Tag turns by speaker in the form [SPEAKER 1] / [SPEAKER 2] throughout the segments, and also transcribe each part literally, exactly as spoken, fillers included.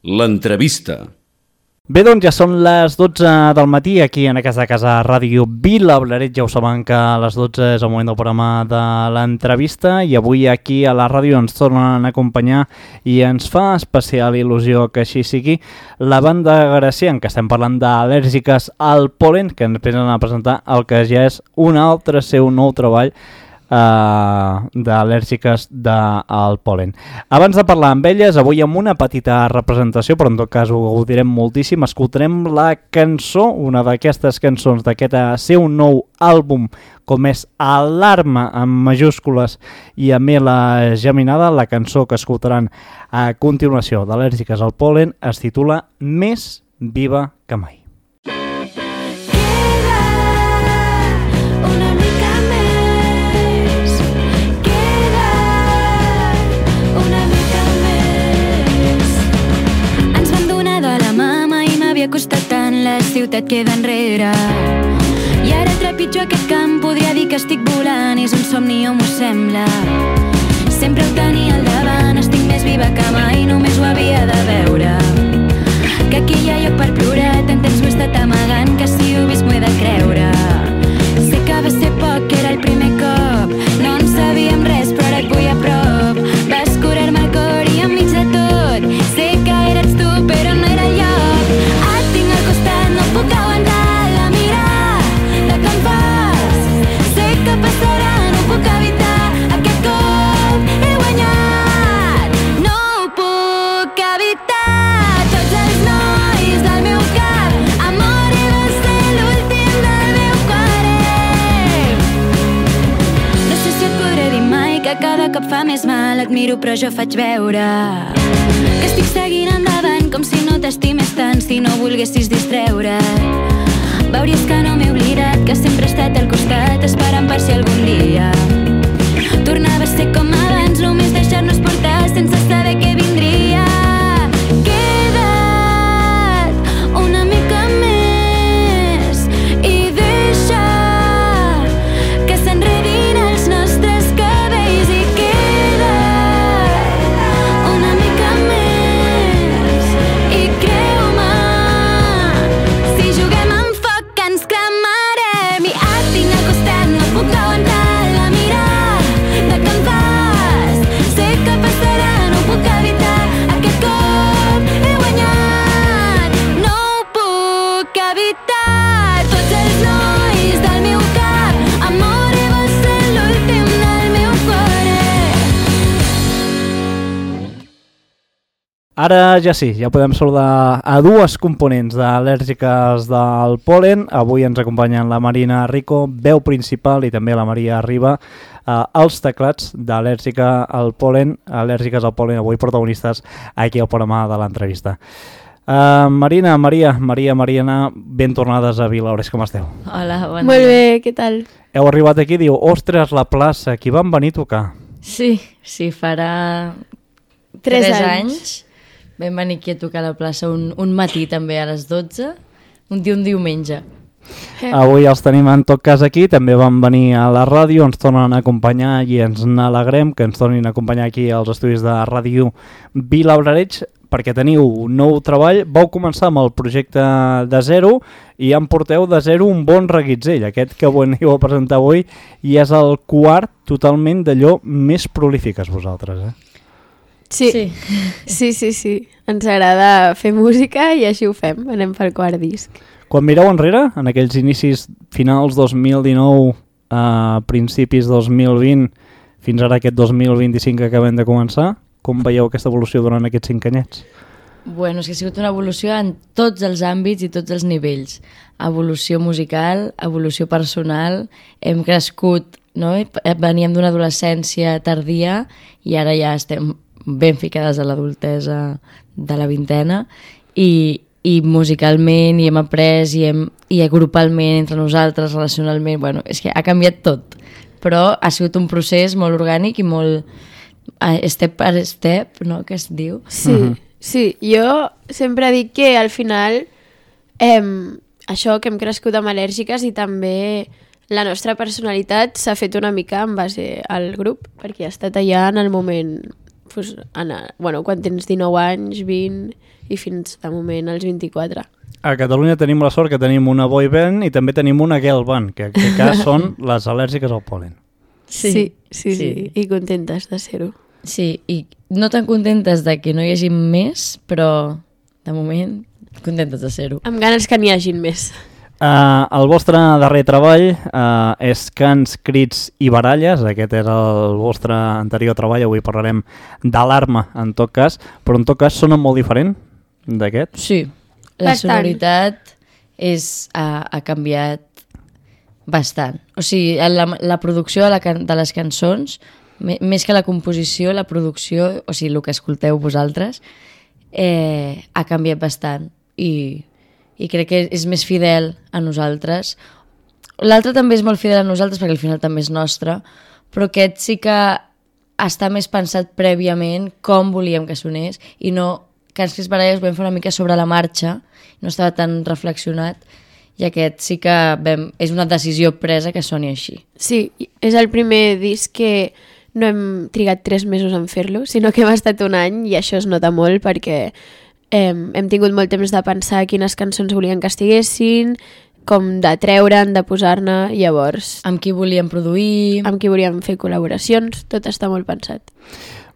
[SPEAKER 1] L'entrevista.
[SPEAKER 2] Bé, doncs ja són les dotze del matí aquí en aquesta casa Ràdio Vilableret. Ja ho saben que a les dotze és el moment del programa de l'entrevista i avui aquí a la ràdio ens tornen a acompanyar i ens fa especial il·lusió que així sigui la banda Gracián, que estem parlant d'Al·lèrgiques al pol·len, que ens venen a presentar el que ja és un altre seu nou treball Uh, d'Al·lèrgiques al pol·len. Abans de parlar amb elles, avui amb una petita representació, però en tot cas ho gaudirem moltíssim, escoltarem la cançó, una d'aquestes cançons d'aquest seu nou àlbum, com és Alarma, amb majúscules i amb la geminada. La cançó que escoltaran a continuació d'Al·lèrgiques al pol·len es titula Més viva que mai.
[SPEAKER 3] Costat tant, la ciutat queda enrere i ara trepitjo aquest camp, podria dir que estic volant, és un somni o m'ho sembla. Sempre ho tenia al davant, estic més viva que mai, només ho havia de veure, que aquí hi ha lloc per plorar, tant temps ho he estat amagant que si ho he vist m'ho he de creure. Sé que va ser poc, que era el primer cop, no en sabíem res però ara et vull a prop, vas curar-me el cor i enmig de tot sé que eres tu però no era el lloc. No puc aguantar la mirada que em fas, sé que passarà, no puc evitar aquest cop, he guanyat, no ho puc evitar. Tots els nois del meu cap, amor, i vas ser l'últim del meu cuore. No sé si et podré dir mai que cada cop fa més mal, et miro però jo faig veure que estic seguint endavant com si no t'estimés tant, si no volguessis distreure. Veuries que no m'he oblidat, que sempre he estat al costat esperant per si algun dia tornava a ser com abans, només deixar-nos portar sense saber què vindria. Queda't una mica més i deixa que s'enredin els nostres cabells i queda't una mica més i creu-me, si juguem amb foc que ens cremarem. I et tinc al costat, no puc aguantar la mirada que em fas, sé que passarà, no puc evitar aquest cop, he guanyat, no ho puc evitar. Tots els nois del meu cap, amor, i vas ser l'últim del meu cuore.
[SPEAKER 2] Ara ja sí, ja podem saludar a dues components d'Al·lèrgiques al pol·len. Avui ens acompanyen la Marina Rico, veu principal, i també la Maria Riba, eh, els teclats d'Al·lèrgica al pol·len, Al·lèrgiques al pol·len, avui protagonistes aquí al programa de l'entrevista. Uh, Marina, Maria, Maria, Mariana, ben tornades a Vilableret, com esteu?
[SPEAKER 4] Hola, bon
[SPEAKER 5] Molt
[SPEAKER 4] dia.
[SPEAKER 5] bé, què tal?
[SPEAKER 2] Heu arribat aquí, diu, ostres, la plaça, aquí van venir a tocar.
[SPEAKER 4] Sí, sí, farà
[SPEAKER 5] Tres
[SPEAKER 4] tres
[SPEAKER 5] anys.
[SPEAKER 4] anys. Vam venir aquí a tocar a la plaça un, un matí també a les dotze, un dia un diumenge.
[SPEAKER 5] Eh.
[SPEAKER 2] Avui els tenim en tot cas aquí, també van venir a la ràdio, ens tornen a acompanyar i ens n'alegrem que ens tornin a acompanyar aquí als estudis de Ràdio Vilableret, perquè teniu un nou treball. Vau començar amb el projecte de zero i en porteu de zero un bon reguitzell, aquest que veniu a presentar avui, i és el quart totalment d'allò més prolífiques vosaltres, eh?
[SPEAKER 5] Sí. Sí. sí, sí, sí. Ens agrada fer música i així ho fem, anem pel quart disc.
[SPEAKER 2] Quan mireu enrere, en aquells inicis finals dos mil dinou, a principis dos mil vint, fins ara aquest dos mil vint-i-cinc que acabem de començar, com veieu aquesta evolució durant aquests cinc anyets?
[SPEAKER 4] Bueno, és que ha sigut una evolució en tots els àmbits i tots els nivells. Evolució musical, evolució personal, hem crescut, no? Veníem d'una adolescència tardia i ara ja estem ben ficades a l'adultesa de la vintena i, i musicalment i hem après i, hem, i grupalment entre nosaltres, relacionalment, bueno, és que ha canviat tot, però ha sigut un procés molt orgànic i molt step per step, no?, que es diu.
[SPEAKER 5] Sí, uh-huh. sí, jo sempre dic que al final eh, això que hem crescut amb Al·lèrgiques i també la nostra personalitat s'ha fet una mica en base al grup, perquè ha estat allà en el moment pues, anar, bueno, quan tens dinou anys, vint i fins de moment als vint-i-quatre.
[SPEAKER 2] A Catalunya tenim la sort que tenim una boy band i també tenim una girl band, que en aquest cas són les al·lèrgiques al pol·len.
[SPEAKER 5] Sí, sí, sí, sí, sí. I contentes de ser-ho.
[SPEAKER 4] Sí, i no tan contentes de que no hi hagi més, però de moment contentes de ser-ho.
[SPEAKER 5] Amb ganes que n'hi hagin més.
[SPEAKER 2] Uh, el vostre darrer treball uh, és Cants, Crits i Baralles. Aquest és el vostre anterior treball. Avui parlarem d'Alarma, en tot cas, però en tot cas sona molt diferent d'aquest.
[SPEAKER 4] Sí, la
[SPEAKER 5] Bastant.
[SPEAKER 4] sonoritat és, ha, ha canviat bastant. O sigui, la, la producció de, la can, de les cançons, me, més que la composició, la producció, o sigui, el que escolteu vosaltres, eh, ha canviat bastant i, i crec que és més fidel a nosaltres. L'altre també és molt fidel a nosaltres perquè al final també és nostre, però aquest sí que està més pensat prèviament com volíem que sonés i no que els Crits Baralles vam fer una mica sobre la marxa, no estava tan reflexionat, i aquest sí que vam, és una decisió presa que soni així.
[SPEAKER 5] Sí, és el primer disc que no hem trigat tres mesos en fer-lo, sinó que hem estat un any i això es nota molt perquè eh, hem tingut molt temps de pensar quines cançons volien que estiguessin, com de treure'n, de posar-ne, llavors...
[SPEAKER 4] Amb qui volíem produir...
[SPEAKER 5] Amb qui volíem fer col·laboracions, tot està molt pensat.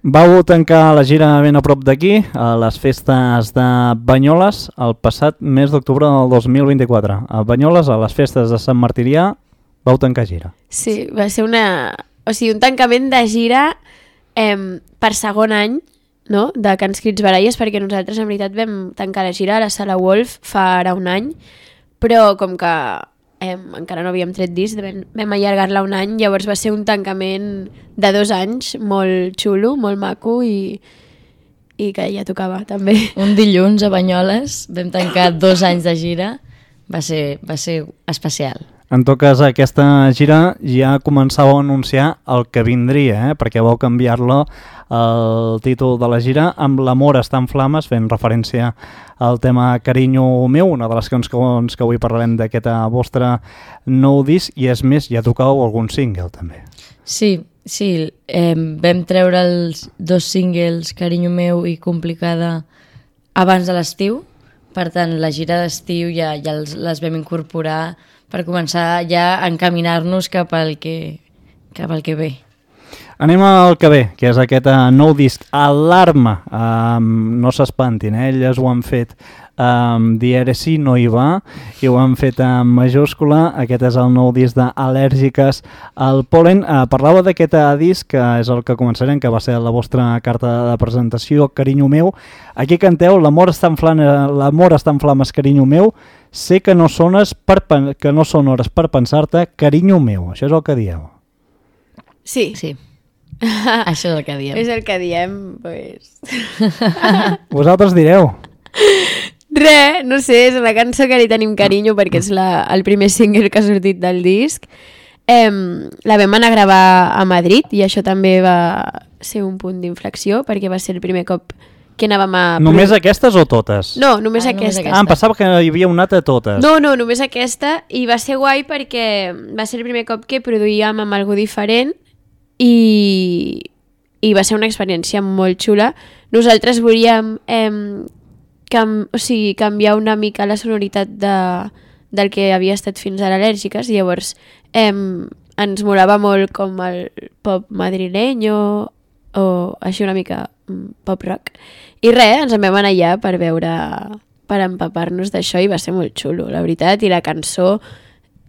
[SPEAKER 2] Vau tancar la gira ben a prop d'aquí, a les festes de Banyoles, el passat mes d'octubre del dos mil vint-i-quatre. A Banyoles, a les festes de Sant Martirià, vau tancar gira.
[SPEAKER 5] Sí, va ser una... O sigui, un tancament de gira eh, per segon any, no?, de Cants, Crits, Baralles, perquè nosaltres en veritat vam tancar la gira a la Sala Wolf fa ara un any, però com que eh, encara no havíem tret disc, vam, vam allargar-la un any, llavors va ser un tancament de dos anys molt xulo, molt maco i, i que ja tocava també.
[SPEAKER 4] Un dilluns a Banyoles vam tancar dos anys de gira, va ser, va ser especial.
[SPEAKER 2] En tot cas, aquesta gira ja començava a anunciar el que vindria, eh? Perquè vau canviar-lo el títol de la gira amb L'amor està en flames, fent referència al tema Carinyo meu, una de les cançons que avui parlarem d'aquest vostre nou disc, i és més, ja tocàveu algun single també.
[SPEAKER 4] Sí, sí, eh, vam treure els dos singles Carinyo meu i Complicada abans de l'estiu, per tant la gira d'estiu ja, ja els, les vam incorporar per començar ja a encaminar-nos cap al que, cap al que ve.
[SPEAKER 2] Anem al que ve, que és aquest uh, nou disc, Alarma. Um, no s'espantin, eh? Elles ho han fet um, dièresi, no hi va, i ho han fet en majúscula. Aquest és el nou disc d'Al·lèrgiques al pol·len. Uh, parlava d'aquest uh, disc, que és el que començarem, que va ser la vostra carta de presentació, Carinyo meu. Aquí canteu L'amor està en flames, l'amor està en flames, carinyo meu. Sé que no, sones per, que no són hores per pensar-te, carinyo meu. Això és el que dieu.
[SPEAKER 5] Sí.
[SPEAKER 4] Sí. Això és el que diem.
[SPEAKER 5] És el que diem, pues...
[SPEAKER 2] Vosaltres direu.
[SPEAKER 5] Re, no sé, és una cançó que li tenim carinyo perquè és la, el primer single que ha sortit del disc. Eh, la vam anar a gravar a Madrid i això també va ser un punt d'inflexió perquè va ser el primer cop que anàvem a...
[SPEAKER 2] Només aquestes o totes?
[SPEAKER 5] No, només,
[SPEAKER 4] Ah, només
[SPEAKER 5] aquesta.
[SPEAKER 4] aquesta.
[SPEAKER 2] Ah, em pensava que hi havia una altra de totes.
[SPEAKER 5] No, no, només aquesta, i va ser guai perquè va ser el primer cop que produïem amb algú diferent i, i va ser una experiència molt xula. Nosaltres volíem eh, cam, o sigui, canviar una mica la sonoritat de, del que havia estat fins ara Al·lèrgiques, i llavors eh, ens molava molt com el pop madrileny o, o així una mica pop rock. I res, ens en vam anar allà per veure, per empapar-nos d'això, i va ser molt xulo, la veritat, i la cançó...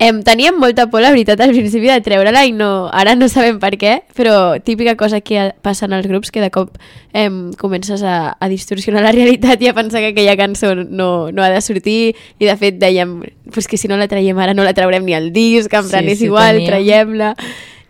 [SPEAKER 5] Em, teníem molta por, la veritat, al principi de treure-la, i no, ara no sabem per què, però típica cosa que passa en els grups, que de cop em, comences a, a distorsionar la realitat i a pensar que aquella cançó no, no ha de sortir, i de fet dèiem pues que si no la traiem ara no la traurem ni al disc, en plan
[SPEAKER 4] Sí,
[SPEAKER 5] és
[SPEAKER 4] sí,
[SPEAKER 5] igual,
[SPEAKER 4] teníem.
[SPEAKER 5] traiem-la,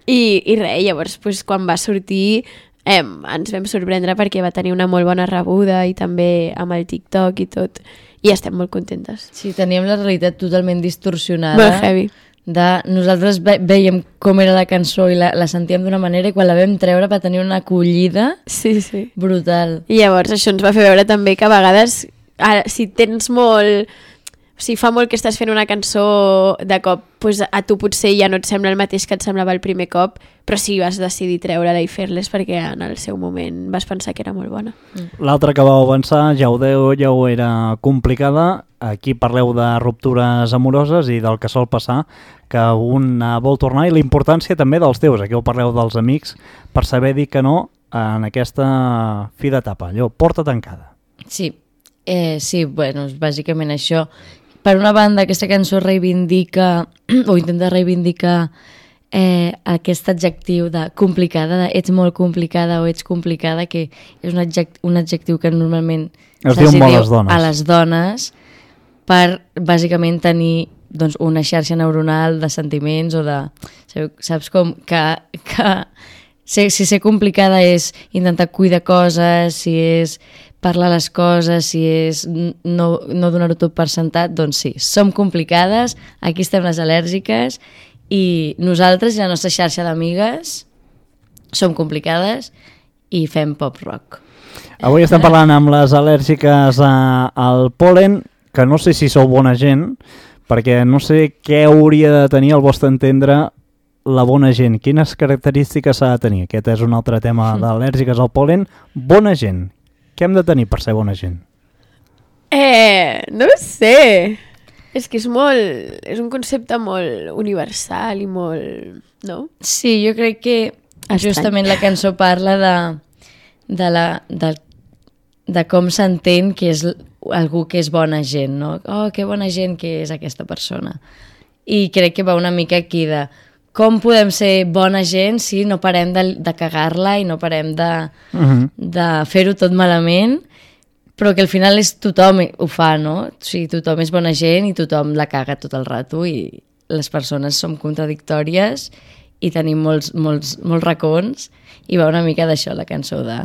[SPEAKER 5] i, i res, llavors pues, quan va sortir... Eh, ens vam sorprendre perquè va tenir una molt bona rebuda i també amb el TikTok i tot, i estem molt contentes.
[SPEAKER 4] Sí, teníem la realitat totalment distorsionada.
[SPEAKER 5] Molt heavy.
[SPEAKER 4] De, nosaltres ve, veiem com era la cançó i la, la sentíem d'una manera, i quan la vam treure va tenir una acollida
[SPEAKER 5] Sí, sí.
[SPEAKER 4] brutal.
[SPEAKER 5] I llavors això ens va fer veure també que a vegades, ara, si tens molt... O si fa molt que estàs fent una cançó de cop, pues a tu potser ja no et sembla el mateix que et semblava el primer cop, però sí vas decidir treure-la i fer-les perquè en el seu moment vas pensar que era molt bona.
[SPEAKER 2] L'altra que vau avançar, ja ho deu, ja ho era complicada. Aquí parleu de ruptures amoroses i del que sol passar, que un vol tornar, i la importància també dels teus. Aquí ho parleu dels amics per saber dir que no en aquesta fi d'etapa, allò, porta tancada.
[SPEAKER 4] Sí, eh, sí, bueno, és bàsicament això. Per una banda, aquesta cançó reivindica, o intenta reivindicar eh, aquest adjectiu de complicada, de ets molt complicada o ets complicada, que és un adjectiu, un adjectiu que normalment
[SPEAKER 2] es diu molt les dones.
[SPEAKER 4] A les dones, per bàsicament tenir doncs, una xarxa neuronal de sentiments o de... Saps com que... que si, si ser complicada és intentar cuidar coses, si és parlar les coses, si és no, no donar-ho tot per sentat, doncs sí, som complicades, aquí estem les al·lèrgiques i nosaltres i la nostra xarxa d'amigues som complicades i fem pop-rock.
[SPEAKER 2] Avui estem parlant amb les al·lèrgiques a, al pol·len, que no sé si sou bona gent, perquè no sé què hauria de tenir al vostre entendre la bona gent. Quines característiques s'ha de tenir? Aquest és un altre tema d'al·lèrgiques al pol·len. Bona gent. Què hem de tenir per ser bona gent?
[SPEAKER 5] Eh, no ho sé. És que és molt... És un concepte molt universal i molt... No?
[SPEAKER 4] Sí, jo crec que Estrany. Justament la cançó parla de, de, la, de, de com s'entén que és algú que és bona gent, no? Oh, que bona gent que és aquesta persona. I crec que va una mica aquí de com podem ser bona gent si no parem de, de cagar-la i no parem de, uh-huh. de fer-ho tot malament, però que al final és tothom ho fa, no? O sigui, tothom és bona gent i tothom la caga tot el rato i les persones som contradictòries i tenim molts, molts, molts racons i va una mica d'això la cançó, de,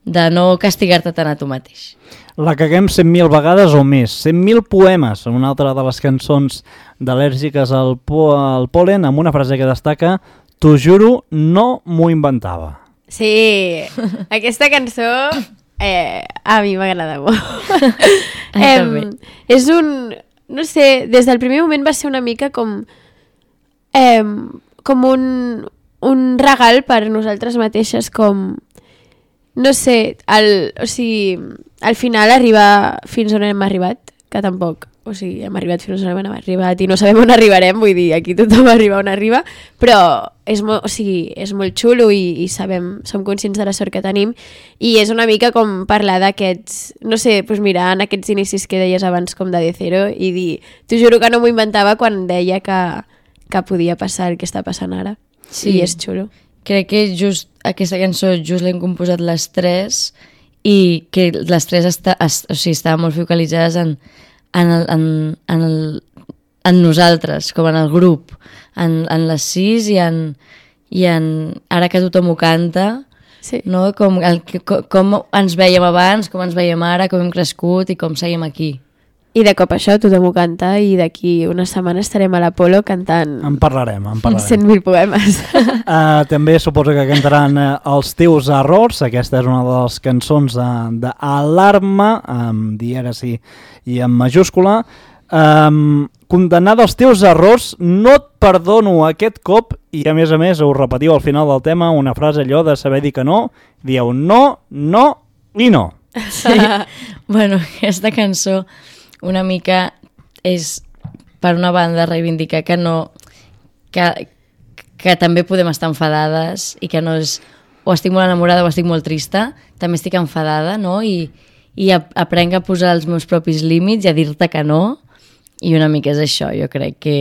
[SPEAKER 4] de no castigar-te tant a tu mateix.
[SPEAKER 2] La caguem cent mil vegades o més, cent mil poemes, una altra de les cançons d'al·lèrgiques al, po al pol·len, amb una frase que destaca: t'ho juro, no m'ho inventava.
[SPEAKER 5] Sí, aquesta cançó eh, a mi m'agrada molt. eh, és un... No sé, des del primer moment va ser una mica com... Eh, com un, un regal per nosaltres mateixes, com... No sé, el, o sigui, al final arribar fins on hem arribat, que tampoc, o sigui, hem arribat fins on hem arribat i no sabem on arribarem, vull dir, aquí tothom arriba on arriba, però és molt, o sigui, és molt xulo i, i sabem, som conscients de la sort que tenim i és una mica com parlar d'aquests, no sé, doncs mira, en aquests inicis que deies abans com de De Cero i dir, t'ho juro que no m'ho inventava quan deia que, que podia passar el que està passant ara. Sí. I és xulo.
[SPEAKER 4] Crec que just aquesta cançó just l'hem composat les tres i que les tres està, es, o sigui, estaven molt focalitzades en, en, el, en, en, el, en nosaltres, com en el grup, en, en les sis i en, i en ara que tothom ho canta, sí. No? com, el, com, com ens veiem abans, com ens veiem ara, com hem crescut i com seguim aquí.
[SPEAKER 5] I de cop això tothom ho canta i d'aquí una setmana estarem a l'Apolo cantant...
[SPEAKER 2] En parlarem, en parlarem.
[SPEAKER 5] cent mil poemes.
[SPEAKER 2] uh, també suposo que cantaran uh, Els teus errors. Aquesta és una de les cançons d'Alarma, amb dièresi i en majúscula. Um, condemnada als teus errors, no et perdono aquest cop, i a més a més ho repetiu al final del tema, una frase allò de saber dir que no, dieu no, no i no.
[SPEAKER 4] Sí. Bueno, aquesta cançó una mica és per una banda reivindicar que no que, que també podem estar enfadades i que no és o estic molt enamorada o estic molt trista, també estic enfadada, no? I, i aprenc a posar els meus propis límits i a dir-te que no, i una mica és això, jo crec que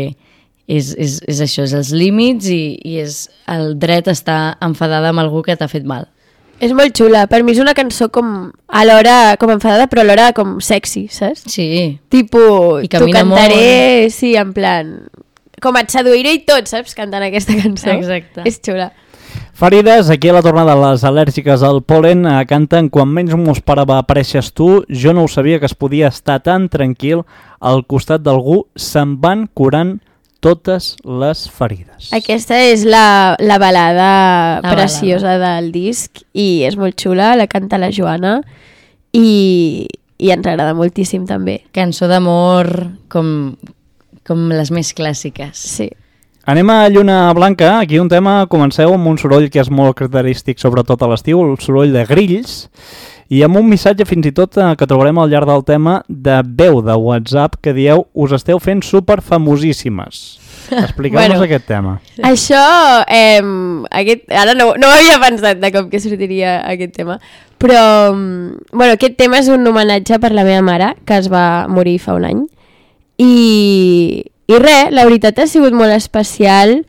[SPEAKER 4] és, és, és això, és els límits i, i és el dret a estar enfadada amb algú que t'ha fet mal.
[SPEAKER 5] És molt xula. Per mi és una cançó com alhora com enfadada, però alhora com sexy, saps?
[SPEAKER 4] Sí.
[SPEAKER 5] Tipo,
[SPEAKER 4] t'ho
[SPEAKER 5] cantaré, molt. Sí, en plan... Com et seduiré i tot, saps? Cantant aquesta cançó.
[SPEAKER 4] Exacte.
[SPEAKER 5] És xula.
[SPEAKER 2] Farides, aquí a la tornada de les al·lèrgiques al pol·len eh, canten Quan menys m'ho esperava apareixes tu, jo no ho sabia que es podia estar tan tranquil al costat d'algú, se'n van curant totes les ferides.
[SPEAKER 5] Aquesta és la, la balada
[SPEAKER 4] la
[SPEAKER 5] preciosa balada. Del disc i és molt xula, la canta la Joana i, i ens agrada moltíssim també.
[SPEAKER 4] Cançó d'amor com, com les més clàssiques.
[SPEAKER 5] Sí.
[SPEAKER 2] Anem a Lluna Blanca. Aquí un tema, comenceu amb un soroll que és molt característic sobretot a l'estiu, el soroll de grills, i amb un missatge fins i tot eh, que trobarem al llarg del tema de veu de WhatsApp que dieu us esteu fent superfamosíssimes. Expliqueu-nos bueno, aquest tema.
[SPEAKER 5] Això, eh, aquest, ara no, no havia pensat de com que sortiria aquest tema, però bueno, aquest tema és un homenatge per la meva mare, que es va morir fa un any. I, i res, la veritat ha sigut molt especial.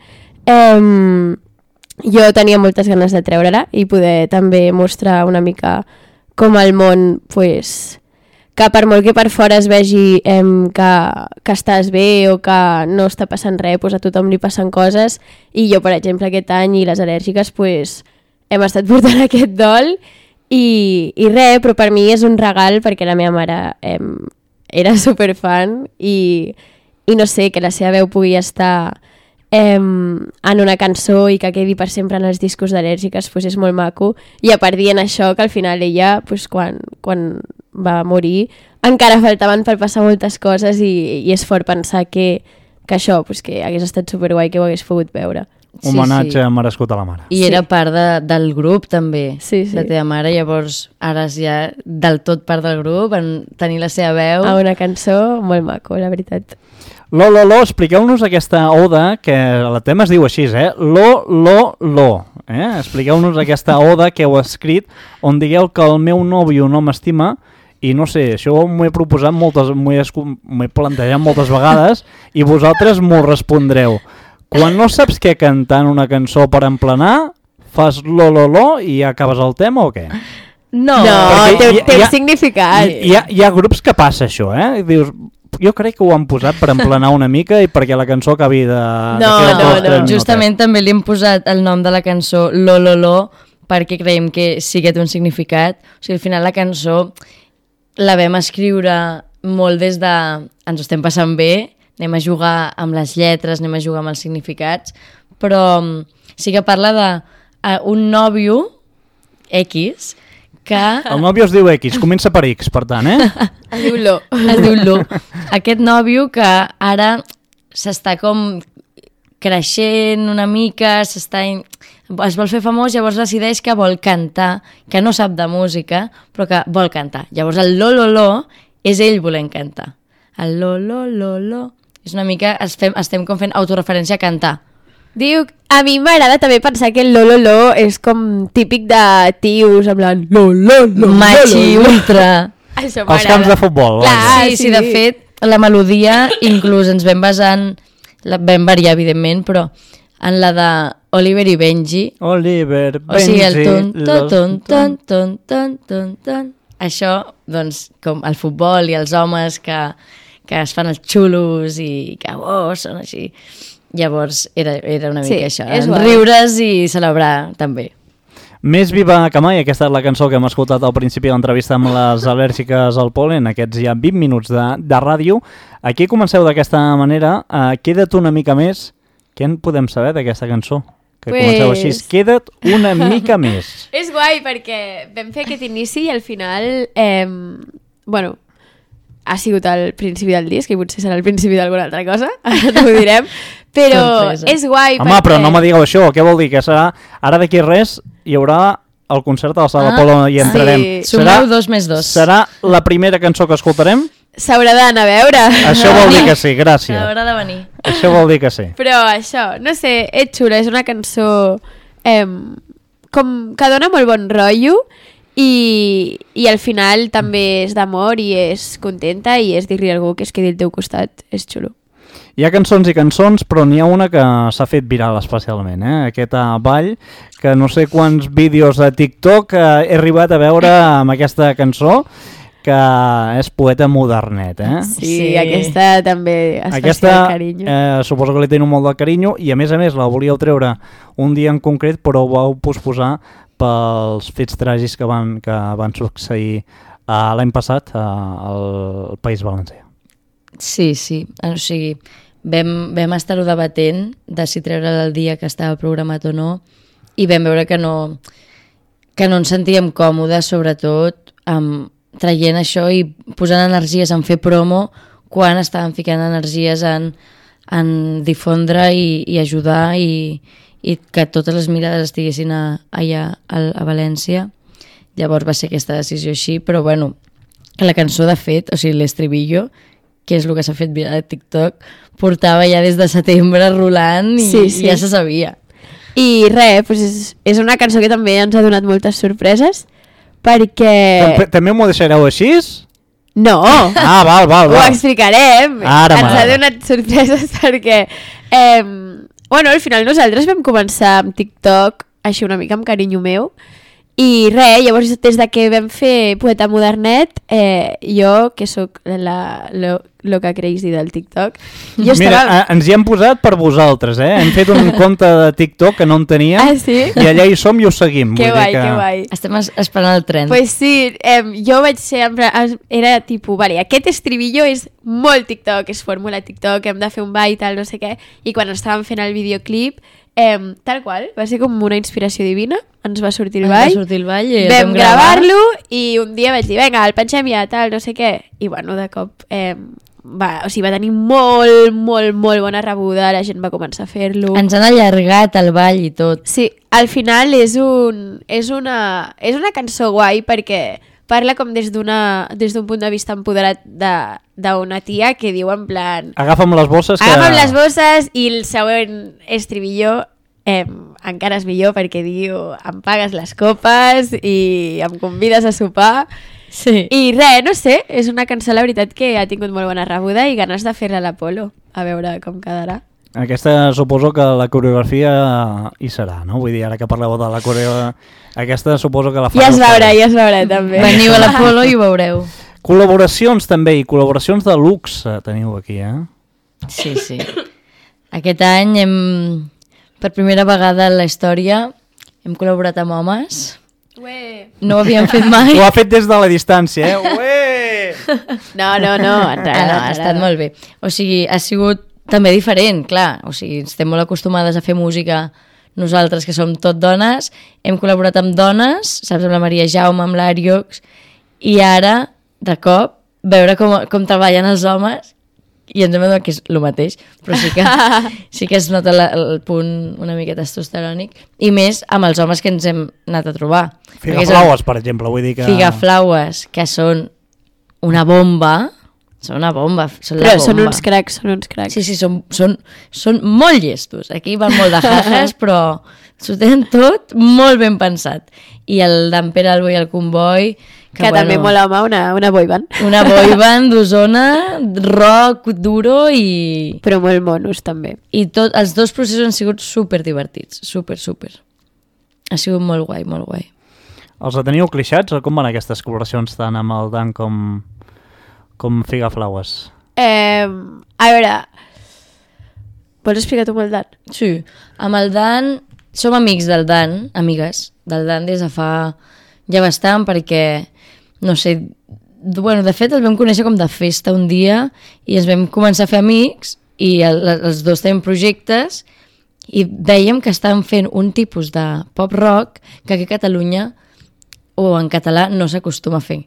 [SPEAKER 5] Eh, jo tenia moltes ganes de treure-la i poder també mostrar una mica com el món, pues, que per molt que per fora es vegi eh, que, que estàs bé o que no està passant res, pues a tothom li passen coses, i jo, per exemple, aquest any i les al·lèrgiques pues, hem estat portant aquest dol i, i res, però per mi és un regal perquè la meva mare eh, era superfan i, i no sé, que la seva veu pugui estar eh, en una cançó i que quedi per sempre en els discos d'al·lèrgiques pues és molt maco, i a part dient això que al final ella pues, quan, quan va morir encara faltaven per passar moltes coses i, i és fort pensar que, que això pues, que hagués estat superguai que ho hagués pogut veure.
[SPEAKER 2] Homenatge
[SPEAKER 4] sí, sí.
[SPEAKER 2] merescut a la mare.
[SPEAKER 4] I
[SPEAKER 5] sí.
[SPEAKER 4] era part de, del grup també,
[SPEAKER 5] sí, sí.
[SPEAKER 4] la teva mare, llavors ara és ja del tot part del grup, en tenir la seva veu.
[SPEAKER 5] A una cançó molt maco, la veritat.
[SPEAKER 2] Lo, lo, lo, expliqueu-nos aquesta oda, que el tema es diu així, eh? Lo, lo, lo. Eh? Expliqueu-nos aquesta oda que heu escrit, on digueu que el meu nòvio no m'estima, i no sé, això m'ho he proposat moltes, m'ho he, m'ho he plantejat moltes vegades, i vosaltres m'ho respondreu. Quan no saps què cantar en una cançó per emplenar, fas lo, lo, lo i ja acabes el tema o què?
[SPEAKER 5] No, no té, té un significat.
[SPEAKER 2] Hi, hi, ha, hi ha grups que passa això, eh? Dius, jo crec que ho han posat per emplenar una mica i perquè la cançó acabi de...
[SPEAKER 4] No,
[SPEAKER 2] de
[SPEAKER 4] no, no. Justament també li hem posat el nom de la cançó Lo, lo, lo, perquè creiem que sí que té un significat. O sigui, al final la cançó la vam escriure molt des de... Ens ho estem passant bé, anem a jugar amb les lletres, anem a jugar amb els significats, però sí que parla de uh, un nòvio X que...
[SPEAKER 2] El nòvio es diu X, comença per X, per tant, eh?
[SPEAKER 5] Es diu Lo.
[SPEAKER 4] Es diu Lo. Aquest nòvio que ara s'està com creixent una mica, s'està... es vol fer famós, llavors decideix que vol cantar, que no sap de música, però que vol cantar. Llavors el lo, lo, lo és ell volent cantar. El lo, lo, lo, lo... És una mica... Estem, estem com fent autoreferència a cantar.
[SPEAKER 5] Diu, a mi m'agrada també pensar que el lo, lo, lo és com típic de tios, en plan lo, lo, lo,
[SPEAKER 4] Machi,
[SPEAKER 5] lo, lo, lo.
[SPEAKER 4] ultra...
[SPEAKER 5] Això
[SPEAKER 2] Els camps de futbol.
[SPEAKER 5] Clar,
[SPEAKER 4] sí, sí, sí, de fet, la melodia inclús ens vam basar en... La vam variar, evidentment, però en la de Oliver i Benji.
[SPEAKER 2] Oliver, Benji...
[SPEAKER 4] O sigui, el ton, ton, ton, ton, ton, ton, ton, ton. Això, doncs, com el futbol i els homes que, que es fan els xulos i que, oh, són així. Llavors, era, era una mica
[SPEAKER 5] sí,
[SPEAKER 4] això, riures i celebrar, també.
[SPEAKER 2] Més viva que mai, aquesta és la cançó que hem escoltat al principi de l'entrevista amb les al·lèrgiques al pol·len, aquests ja vint minuts de, de ràdio. Aquí comenceu d'aquesta manera, uh, queda't una mica més. Què en podem saber d'aquesta cançó? Que pues... comenceu així, queda't una mica més.
[SPEAKER 5] És guai perquè vam fer aquest inici i al final, eh, bueno, ha sigut el principi del disc i potser serà el principi d'alguna altra cosa, ara t'ho direm, però sorpresa. És guai.
[SPEAKER 2] Home,
[SPEAKER 5] perquè...
[SPEAKER 2] però no me digueu això, què vol dir? Que serà, ara d'aquí res hi haurà el concert a la Sala ah, Polo i entrarem.
[SPEAKER 4] Sí. Sumeu dos més dos.
[SPEAKER 2] Serà la primera cançó que escoltarem?
[SPEAKER 5] S'haurà d'anar a veure.
[SPEAKER 2] Això vol dir que sí, gràcies.
[SPEAKER 4] Haurà de venir.
[SPEAKER 2] Això vol dir que sí.
[SPEAKER 5] Però això, no sé, és xula, és una cançó eh, com que dona molt bon rotllo i, i al final també és d'amor i és contenta i és dir-li a algú que es quedi al teu costat, és xulo.
[SPEAKER 2] Hi ha cançons i cançons, però n'hi ha una que s'ha fet viral especialment, eh? Aquesta ball, que no sé quants vídeos de TikTok eh, he arribat a veure amb aquesta cançó, que és poeta modernet, eh?
[SPEAKER 5] Sí, sí. Aquesta també es
[SPEAKER 2] aquesta,
[SPEAKER 5] fa de carinyo.
[SPEAKER 2] Eh, suposo que li teniu molt de carinyo i a més a més la volíeu treure un dia en concret però ho vau posposar pels fets tràgics que van, que van succeir uh, l'any passat uh, al País Valencià.
[SPEAKER 4] Sí, sí, o sigui, vam, vam estar-ho debatent de si treure'l el dia que estava programat o no i vam veure que no, que no ens sentíem còmodes, sobretot amb traient això i posant energies en fer promo quan estaven ficant energies en, en difondre i, i ajudar i, i que totes les mirades estiguessin a, allà a, a València. Llavors va ser aquesta decisió així, però bueno, la cançó de fet, o sigui l'estribillo, que és el que s'ha fet viral a TikTok, portava ja des de setembre rolant i
[SPEAKER 5] sí, sí.
[SPEAKER 4] ja se sabia.
[SPEAKER 5] I res, doncs és, és una cançó que també ens ha donat moltes sorpreses, perquè...
[SPEAKER 2] També, també m'ho deixareu així?
[SPEAKER 5] No!
[SPEAKER 2] Ah, val, val, val.
[SPEAKER 5] Ho explicarem.
[SPEAKER 2] Ara
[SPEAKER 5] ens ha donat sorpreses perquè... Eh, bueno, al final nosaltres vam començar amb TikTok, així una mica amb carinyo meu, i res, llavors des de que vam fer Poeta Modernet, eh, jo, que sóc la lo, loca crazy del TikTok, jo
[SPEAKER 2] Mira,
[SPEAKER 5] estava...
[SPEAKER 2] ens hi hem posat per vosaltres, eh? Hem fet un compte de TikTok que no en teníem
[SPEAKER 5] Ah, sí?
[SPEAKER 2] i allà hi som i ho seguim.
[SPEAKER 5] Que
[SPEAKER 2] Vull
[SPEAKER 5] guai,
[SPEAKER 2] dir que...
[SPEAKER 5] que guai.
[SPEAKER 4] Estem es- esperant el tren.
[SPEAKER 5] Pues sí, eh, jo vaig ser... en plan- Era tipus, vale, aquest estribillo és molt TikTok, és fórmula TikTok, hem de fer un ball i tal, no sé què, i quan estàvem fent el videoclip, eh, tal qual, va ser com una inspiració divina, ens va sortir el
[SPEAKER 4] Ens
[SPEAKER 5] ball,
[SPEAKER 4] va sortir el ball i el
[SPEAKER 5] vam
[SPEAKER 4] vam gravar.
[SPEAKER 5] gravar-lo i un dia vaig dir, vinga, el pengem ja, tal, no sé què, i bueno, de cop eh, va, o sigui, va tenir molt, molt, molt bona rebuda, la gent va començar a fer-lo.
[SPEAKER 4] Ens han allargat el ball i tot.
[SPEAKER 5] Sí, al final és, un, és, una, és una cançó guai perquè parla com des d'una des d'un punt de vista empoderat d'una tia que diu en plan...
[SPEAKER 2] Agafa'm les bosses que...
[SPEAKER 5] Agafa'm les bosses i el següent estribillo eh, encara és millor perquè diu em pagues les copes i em convides a sopar.
[SPEAKER 4] Sí.
[SPEAKER 5] I res, no sé, és una cançó, la veritat, que ha tingut molt bona rebuda i ganes de fer-la a l'Apolo, a veure com quedarà.
[SPEAKER 2] Aquesta suposo que la coreografia hi serà, no? Vull dir, ara que parleu de la coreografia... Aquesta suposo que la fareu.
[SPEAKER 5] Ja es veurà, ja es veurà també.
[SPEAKER 4] Veniu a l'Apolo i ho veureu.
[SPEAKER 2] Col·laboracions també, i col·laboracions de luxe teniu aquí, eh?
[SPEAKER 4] Sí, sí. Aquest any hem, per primera vegada en la història, hem col·laborat amb homes.
[SPEAKER 5] Ué.
[SPEAKER 4] No ho havíem fet mai.
[SPEAKER 2] Ho ha fet des de la distància, eh? Ué!
[SPEAKER 5] No, no, no, ens
[SPEAKER 4] Ah, no, ha estat molt bé. O sigui, ha sigut també diferent, clar. O sigui, estem molt acostumades a fer música nosaltres, que som tot dones. Hem col·laborat amb dones, saps, amb la Maria Jaume, amb l'Àriox, i ara, de cop, veure com, com treballen els homes i ens hem adonat que és el mateix, però sí que, sí que es nota la, el punt una mica testosterònic, i més amb els homes que ens hem anat a trobar.
[SPEAKER 2] Figaflaues, per exemple, vull dir que...
[SPEAKER 4] Figaflaues, que són una bomba, són una bomba, són la
[SPEAKER 5] Però
[SPEAKER 4] bomba.
[SPEAKER 5] són uns cracs, són uns cracs.
[SPEAKER 4] Sí, sí, són, són, són molt llestos. Aquí van molt de jajas, però s'ho tenen tot molt ben pensat. I el d'en Pere Albo i el Comboi...
[SPEAKER 5] Que, que bueno, també mola, home, una, una boyband.
[SPEAKER 4] Una boyband d'Osona, rock duro i...
[SPEAKER 5] Però molt monos, també.
[SPEAKER 4] I tot, els dos processos han sigut super divertits, super, super. Ha sigut molt guai, molt guai.
[SPEAKER 2] Els teniu clixats o com van aquestes col·laboracions tant amb el Dan com, com Figaflaues?
[SPEAKER 5] Eh, a veure, vols explicar tu amb el Dan?
[SPEAKER 4] Sí, amb el Dan, som amics del Dan, amigues del Dan des de fa ja bastant, perquè, no sé, bueno, de fet el vam conèixer com de festa un dia i ens vam començar a fer amics i el, els dos tenim projectes i veiem que estan fent un tipus de pop rock que aquí a Catalunya o en català no s'acostuma a fer.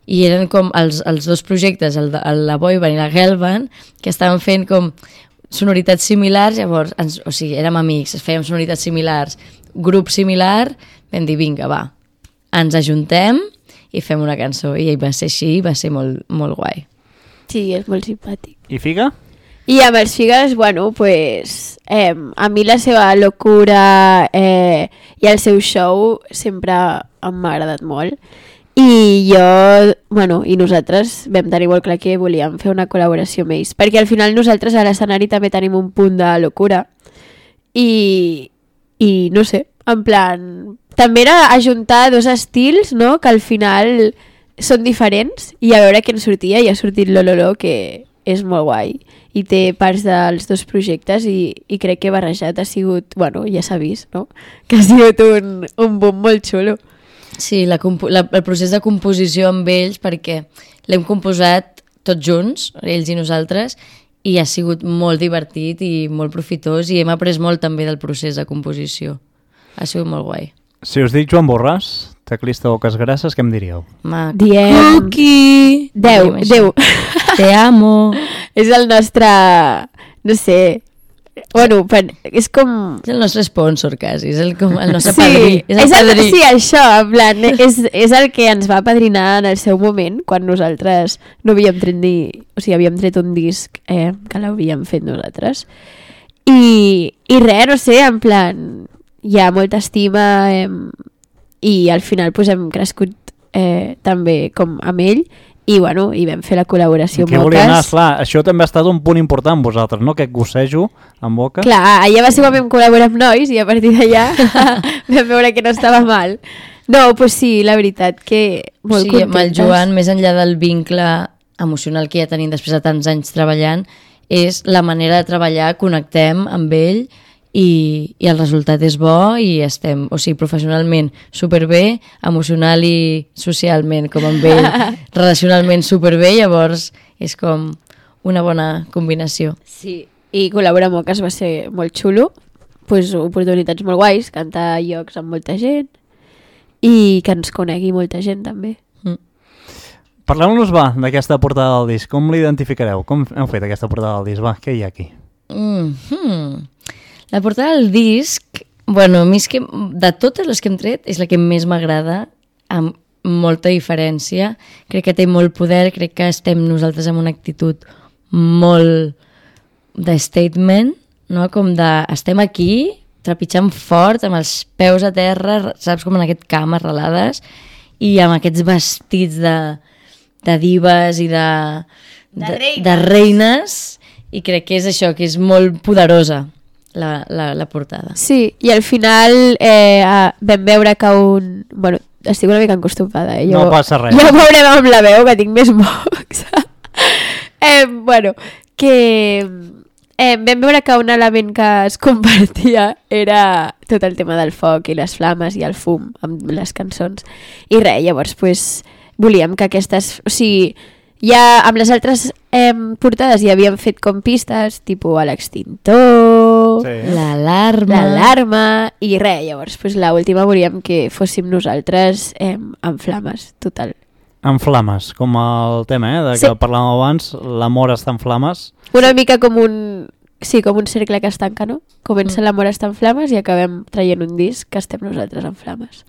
[SPEAKER 4] I eren com els, els dos projectes, el de, el, la boyband i la girlband, que estaven fent com sonoritats similars, llavors, ens, o sigui, érem amics, fèiem sonoritats similars, grup similar, vam dir, vinga, va, ens ajuntem i fem una cançó. I va ser així, va ser molt, molt guai.
[SPEAKER 5] Sí, és molt simpàtic.
[SPEAKER 2] I Figa?
[SPEAKER 5] I amb els Figues, bueno, pues, eh, a mi la seva locura eh, i el seu show sempre m'ha agradat molt. I jo, bueno, i nosaltres vam tenir molt clar que volíem fer una col·laboració amb ells, perquè al final nosaltres a l'escenari també tenim un punt de locura. I, i no sé, en plan, també era ajuntar dos estils, no?, que al final són diferents, i a veure què en sortia, i ha sortit Lololo, que és molt guai, i té parts dels dos projectes, i, i crec que barrejat ha sigut, bueno, ja s'ha vist, no?, que ha sigut un, un boom molt xulo.
[SPEAKER 4] Sí, la, la, el procés de composició amb ells, perquè l'hem composat tots junts, ells i nosaltres, i ha sigut molt divertit i molt profitós, i hem après molt també del procés de composició. Ha sigut molt guai.
[SPEAKER 2] Si us dic Joan Borràs, teclista Boques Grasses, què em diríeu?
[SPEAKER 4] Ma,
[SPEAKER 5] Diem...
[SPEAKER 4] Cookie!
[SPEAKER 5] Déu,
[SPEAKER 4] Diem
[SPEAKER 5] Déu.
[SPEAKER 4] Te amo!
[SPEAKER 5] És el nostre... No sé... Bueno, per, és com...
[SPEAKER 4] És el nostre sponsor, quasi. És el, com el nostre
[SPEAKER 5] Sí,
[SPEAKER 4] padrí. És el
[SPEAKER 5] és el,
[SPEAKER 4] padrí.
[SPEAKER 5] sí, això, en plan, és, és el que ens va padrinar en el seu moment, quan nosaltres no havíem tret ni... O sigui, havíem tret un disc eh, que l'havíem fet nosaltres. I, i res, no sé, en plan, hi ha molta estima eh, i al final pues, hem crescut eh, també com amb ell i, bueno, i vam fer la col·laboració amb
[SPEAKER 2] Què volia anar?
[SPEAKER 5] Boques.
[SPEAKER 2] Clar, això també ha estat un punt important vosaltres, no? Aquest gossejo amb Boques.
[SPEAKER 5] Clar, allà va ser quan vam col·laborar amb nois i a partir d'allà vam veure que no estava mal. No, doncs sí, la veritat que molt
[SPEAKER 4] sí,
[SPEAKER 5] contentes.
[SPEAKER 4] amb el Joan, més enllà del vincle emocional que ja tenim després de tants anys treballant, és la manera de treballar, connectem amb ell i, i el resultat és bo i estem, o sigui, professionalment superbé, emocional i socialment com amb ell, relacionalment superbé, llavors és com una bona combinació.
[SPEAKER 5] Sí, i col·laborar amb Boques va ser molt xulo, pues, oportunitats molt guais, cantar a llocs amb molta gent i que ens conegui molta gent també.
[SPEAKER 4] Mm.
[SPEAKER 2] Parleu-nos, va, d'aquesta portada del disc. Com l'identificareu? Com heu fet aquesta portada del disc? Va, què hi ha aquí?
[SPEAKER 4] Mm -hmm. La portada del disc, bueno, a mi és que de totes les que hem tret és la que més m'agrada, amb molta diferència. Crec que té molt poder, crec que estem nosaltres amb una actitud molt de statement, no? Com de estem aquí, trepitjant fort, amb els peus a terra, saps, com en aquest camp arrelades, i amb aquests vestits de, de divas i de, de,
[SPEAKER 5] De reines.
[SPEAKER 4] de reines, i crec que és això, que és molt poderosa la, la, la portada.
[SPEAKER 5] Sí, i al final eh, vam veure que un... Bueno, estic una mica encostumada, eh? Jo,
[SPEAKER 2] No passa res.
[SPEAKER 5] Ja ho veurem amb la veu, que tinc més mocs. eh, bueno, que eh, vam veure que un element que es compartia era tot el tema del foc i les flames i el fum amb les cançons. I res, llavors, pues, volíem que aquestes... O sigui, ja amb les altres eh, portades ja havíem fet com pistes, tipus a l'extintor,
[SPEAKER 2] Sí.
[SPEAKER 4] L'alarma.
[SPEAKER 5] l'alarma, i res, llavors, pues, l'última volíem que fóssim nosaltres eh, amb flames, total.
[SPEAKER 2] En flames, com el tema, eh, de que
[SPEAKER 5] Sí.
[SPEAKER 2] parlàvem abans, l'amor està en flames.
[SPEAKER 5] Una mica com un... Sí, com un cercle que es tanca, no? Comença
[SPEAKER 4] Mm.
[SPEAKER 5] l'amor està en flames i acabem traient un disc que estem nosaltres en flames.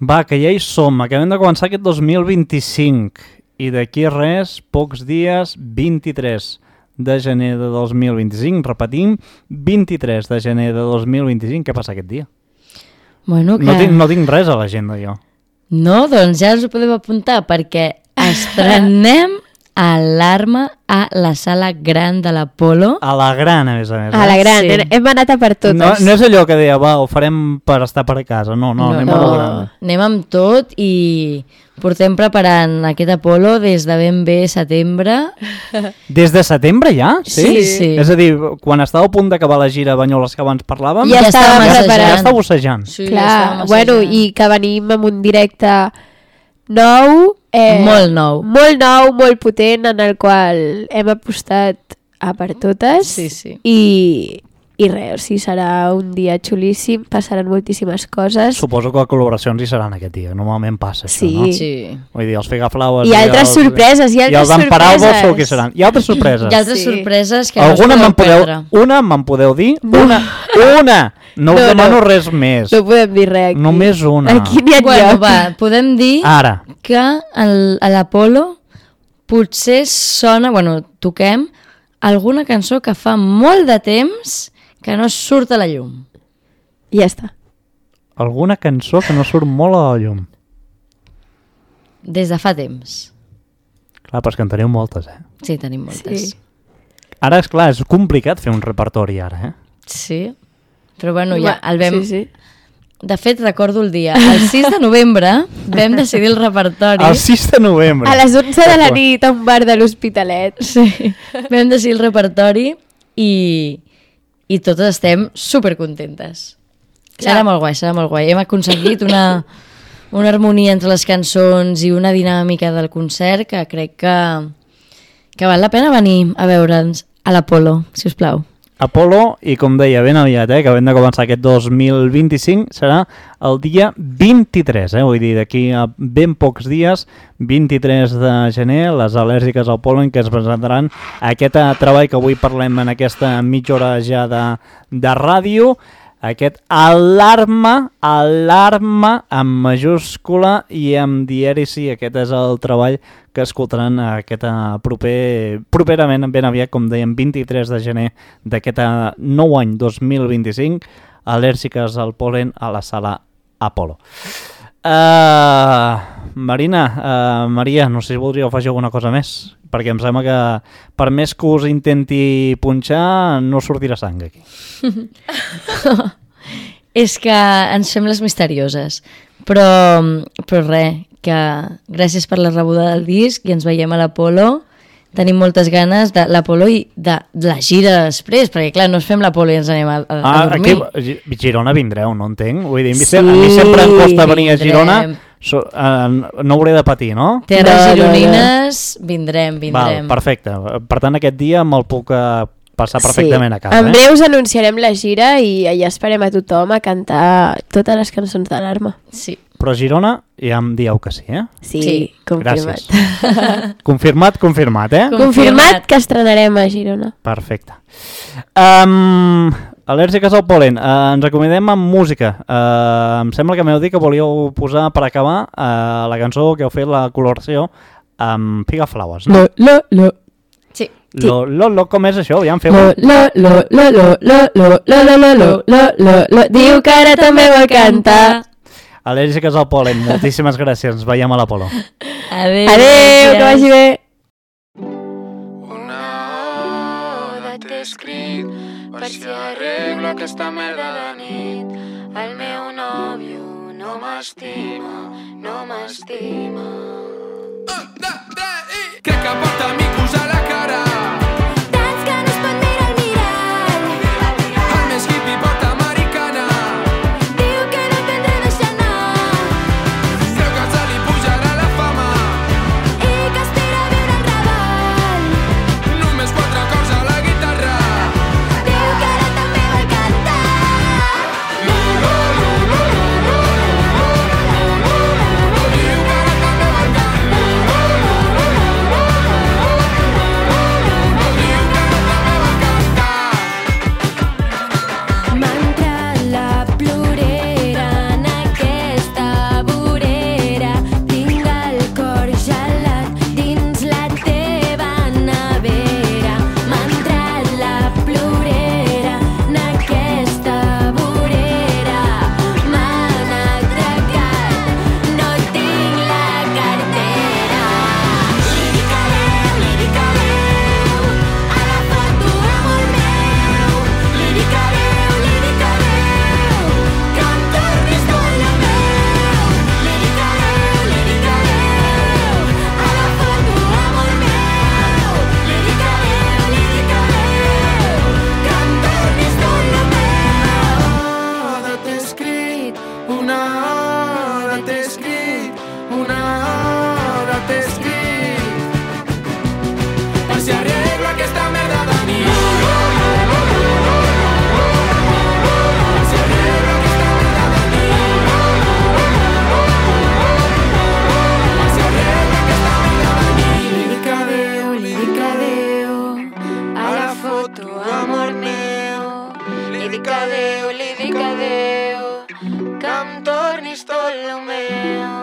[SPEAKER 2] Va, que ja hi som. Acabem de començar aquest dos mil vint-i-cinc i d'aquí res, pocs dies, vint-i-tres de gener de dos mil vint-i-cinc. Repetim, vint-i-tres de gener de dos mil vint-i-cinc. Què passa aquest dia?
[SPEAKER 4] Bueno, que...
[SPEAKER 2] No tinc, no tinc res a l'agenda, jo.
[SPEAKER 4] No, doncs ja ens ho podem apuntar perquè estrenem Alarma a la sala gran de l'Apolo.
[SPEAKER 2] A la gran, a més a més.
[SPEAKER 5] A la
[SPEAKER 2] eh?
[SPEAKER 5] gran,
[SPEAKER 4] Sí.
[SPEAKER 5] sí. Hem anat a per totes.
[SPEAKER 2] No, no és allò que deia, va, ho farem per estar per a casa. No, no, anem a la gran.
[SPEAKER 4] Anem amb tot i portem preparant aquest Apolo des de ben bé setembre.
[SPEAKER 2] Des de setembre ja?
[SPEAKER 4] Sí, sí.
[SPEAKER 2] És a dir, quan estava a punt d'acabar la gira a Banyoles que abans parlàvem,
[SPEAKER 5] Ja estàvem
[SPEAKER 2] ja,
[SPEAKER 5] preparant.
[SPEAKER 2] ja estava bossejant.
[SPEAKER 4] Sí,
[SPEAKER 5] Clar,
[SPEAKER 4] estàvem
[SPEAKER 5] bueno,
[SPEAKER 4] assajant.
[SPEAKER 5] i que venim amb un directe nou, eh,
[SPEAKER 4] Molt nou.
[SPEAKER 5] molt nou, molt potent, en el qual hem apostat a per totes.
[SPEAKER 4] Sí, sí.
[SPEAKER 5] I, i res, o sigui, serà un dia xulíssim, passaran moltíssimes coses.
[SPEAKER 2] Suposo que les col·laboracions hi seran aquest dia. Normalment passa això,
[SPEAKER 5] Sí.
[SPEAKER 2] no?
[SPEAKER 4] Sí.
[SPEAKER 2] Vull dir, els Figaflaues...
[SPEAKER 5] I altres
[SPEAKER 2] els,
[SPEAKER 5] sorpreses, i
[SPEAKER 2] I
[SPEAKER 5] altres
[SPEAKER 2] els d'en Paraules
[SPEAKER 5] sorpreses.
[SPEAKER 2] segur que seran. I altres sorpreses.
[SPEAKER 4] Hi ha altres
[SPEAKER 5] Sí.
[SPEAKER 4] sorpreses que
[SPEAKER 2] Alguna
[SPEAKER 4] no
[SPEAKER 2] me'n
[SPEAKER 4] us podeu
[SPEAKER 2] podeu...
[SPEAKER 4] perdre.
[SPEAKER 2] Una me'n podeu dir? Una! Una! No us
[SPEAKER 5] No,
[SPEAKER 2] demano
[SPEAKER 5] no.
[SPEAKER 2] res més.
[SPEAKER 5] No podem dir res aquí.
[SPEAKER 2] Només una.
[SPEAKER 5] Aquí n'hi ha
[SPEAKER 4] Bueno,
[SPEAKER 5] lloc.
[SPEAKER 4] va, podem dir
[SPEAKER 2] Ara.
[SPEAKER 4] que el, a l'Apolo potser sona, bueno, toquem alguna cançó que fa molt de temps que no surt a la llum.
[SPEAKER 5] I ja està.
[SPEAKER 2] Alguna cançó que no surt molt a la llum.
[SPEAKER 4] Des de fa temps.
[SPEAKER 2] Clar, però és que en teniu moltes, eh?
[SPEAKER 4] Sí, tenim moltes.
[SPEAKER 5] Sí.
[SPEAKER 2] Ara, és clar, és complicat fer un repertori ara, eh?
[SPEAKER 4] Sí. Però bueno, ja el vam...
[SPEAKER 5] Sí, sí.
[SPEAKER 4] De fet, recordo el dia. El sis de novembre vam decidir el repertori.
[SPEAKER 2] El sis de novembre.
[SPEAKER 5] A les onze de la nit a un bar de l'Hospitalet.
[SPEAKER 4] Sí. Vam decidir el repertori i, i totes estem supercontentes.
[SPEAKER 5] Clar.
[SPEAKER 4] Serà molt guai, serà molt guai. Hem aconseguit una, una harmonia entre les cançons i una dinàmica del concert que crec que, que val la pena venir a veure'ns a l'Apolo, si us plau.
[SPEAKER 2] Apolo, i com deia, ben aviat, eh, que hem de començar aquest dos mil vint-i-cinc, serà el dia vint-i-tres, eh, vull dir, d'aquí a ben pocs dies, vint-i-tres de gener, les al·lèrgiques al pol·len, que es presentaran aquest treball que avui parlem en aquesta mitja hora ja de, de ràdio, aquest alarma, alarma amb majúscula i amb dièrisi. Aquest és el treball que escoltaran aquest proper, properament, ben aviat, com dèiem, vint-i-tres de gener d'aquest nou any dos mil vint-i-cinc, al·lèrgiques al pol·len a la sala Apolo. Uh, Marina, uh, Maria, no sé si voldríeu afegir alguna cosa més, perquè em sembla que per més que us intenti punxar no sortirà sang aquí.
[SPEAKER 4] És que ens fem les misterioses, però, però res, que gràcies per la rebuda del disc i ens veiem a l'Apolo. Tenim moltes ganes de l'Apolo i de, de la gira després, perquè clar, no ens fem l'Apolo i ens anem a, a, a
[SPEAKER 2] ah,
[SPEAKER 4] dormir.
[SPEAKER 2] Aquí, Girona vindreu, no entenc? Vull dir,
[SPEAKER 4] sí,
[SPEAKER 2] a mi sempre em costa venir a Girona,
[SPEAKER 4] vindrem.
[SPEAKER 2] so, uh, no hauré de patir, no?
[SPEAKER 4] Terres gironines, vindrem, vindrem.
[SPEAKER 2] Val, perfecte. Per tant, aquest dia me'l puc uh, passar perfectament
[SPEAKER 5] sí.
[SPEAKER 2] a casa.
[SPEAKER 5] En
[SPEAKER 2] eh?
[SPEAKER 5] breu us anunciarem la gira i allà esperem a tothom a cantar totes les cançons d'Alarma.
[SPEAKER 4] Sí.
[SPEAKER 2] Però a Girona ja em dieu que sí, eh?
[SPEAKER 5] Sí,
[SPEAKER 4] sí.
[SPEAKER 5] confirmat.
[SPEAKER 2] confirmat, confirmat, eh?
[SPEAKER 5] Confirmat que estrenarem a Girona.
[SPEAKER 2] Perfecte. Um, al·lèrgiques al pol·len, uh, ens acomodem amb música. Uh, em sembla que m'heu dit que volíeu posar per acabar uh, la cançó que heu fet la coloració amb Pigaflowers, no?
[SPEAKER 5] Lo, lo, lo.
[SPEAKER 4] Sí.
[SPEAKER 2] Lo, lo, lo, com és això? Ja en feu...
[SPEAKER 5] Lo, lo, lo, lo, lo, lo, lo, lo, lo, lo, lo, lo, lo. Diu que ara també vol cantar.
[SPEAKER 2] Al·lèrgiques al pol·len, moltíssimes gràcies. Ens veiem a l'Apolo.
[SPEAKER 4] Adéu.
[SPEAKER 5] Adéu, que vagi bé.
[SPEAKER 1] Una oda t'he escrit per si arreglo aquesta merda de nit. El meu nòvio no m'estima, no m'estima. Crec que porta micos a la cara.
[SPEAKER 3] Tants que no es pot mirar al mirall.
[SPEAKER 1] El més hippie porta americana.
[SPEAKER 3] Diu que no aprendrà a deixar anar
[SPEAKER 1] Creu que se li pujarà la fama.
[SPEAKER 3] i que aspira a viure en Raval.
[SPEAKER 1] Només quatre acords a la guitarra.
[SPEAKER 3] Diu que ara també vol cantar. M'ha entrat la plorera en aquesta vorera. Tinc el cor gelat dins la teva nevera. M'ha entrat la plorera en aquesta vorera. M'han atracat, no tinc la cartera. Lírica Déu, lírica Déu, ara foto amor meu. Lírica Déu, lírica Déu, que em tornis tot lo meu. Lírica Déu, lírica Déu, ara foto amor meu. Lírica Déu, lírica Déu, que em tornis tot lo meu.
[SPEAKER 1] Oda t'he escrit, una hora t'he escrit, una hora t'he escrit per si arreglo aquesta merda de nit. Per si arreglo aquesta merda de nit. Per si arreglo aquesta merda de nit. Lírica Déu, lírica Déu, ara foto amor meu. Lírica Déu, lírica Déu, que em tornis tot lo meu.